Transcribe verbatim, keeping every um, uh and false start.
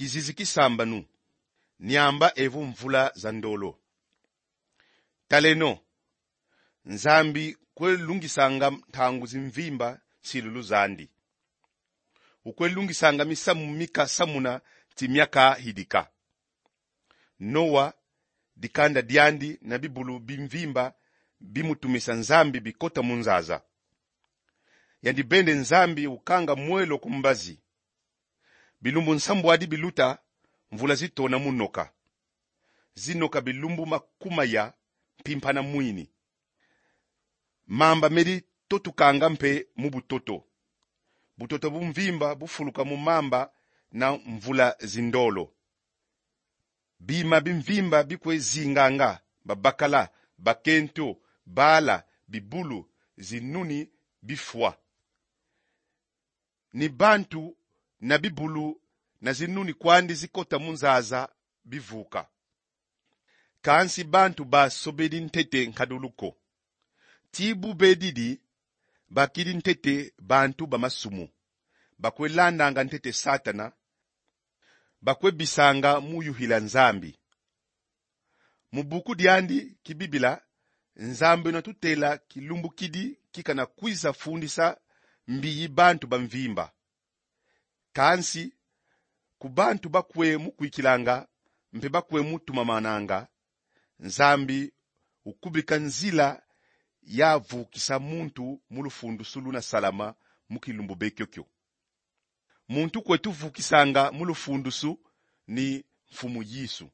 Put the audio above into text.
Kizizi ki sambanu, niamba evo mvula za ndolo. Taleno, Nzambi kwe lungisanga ntangu zimvimba nsilulu zandi. Ukwe lungisanga misamu mika samuna ti miaka hidika. Noa, dikanda diandi na bibulu bimvimba bimutumisa Nzambi bikota mu nzaza. Yandi bende Nzambi ukanga mwelo ku mbazi. Bilumbu nsambwadi biluta, mvula zitona mu noka. Zinoka bilumbu makumaya mpimpa na mwini. Mamba medi totukanga mpe mu butoto. Butoto bumvimba bufuluka mu mamba na mvula zindolo. Bima bimvimba bikwe zinganga, babakala, bakento, bala, bibulu, zinuni bifwa. Ni bantu na bibulu na zinuni kwandi zikota mu nzaza bivuka. Kansi bantu basobedi ntete nkadulu ko. Ti bu bedidi, bakidi ntete bantu ba masumu. Bakwe landanga ntete Satana. Bakwe bisanga mu yuvila Nzambi. Mu buku diandi ki Bibila, Nzambi una tutela kilumbukidi kikana kwiza fundisa mbiyi bantu bamvimba. Kansi, ku bantu bakwe mukwikilanga, mpe bakwe mutumamananga, Nzambi ukubika nzila ya vukisa muntu mu lufundusu luna salama mu kilumbu be kiokio. Muntu kwe tuvukisanga mu lufundusu ni Mfumu Yesu.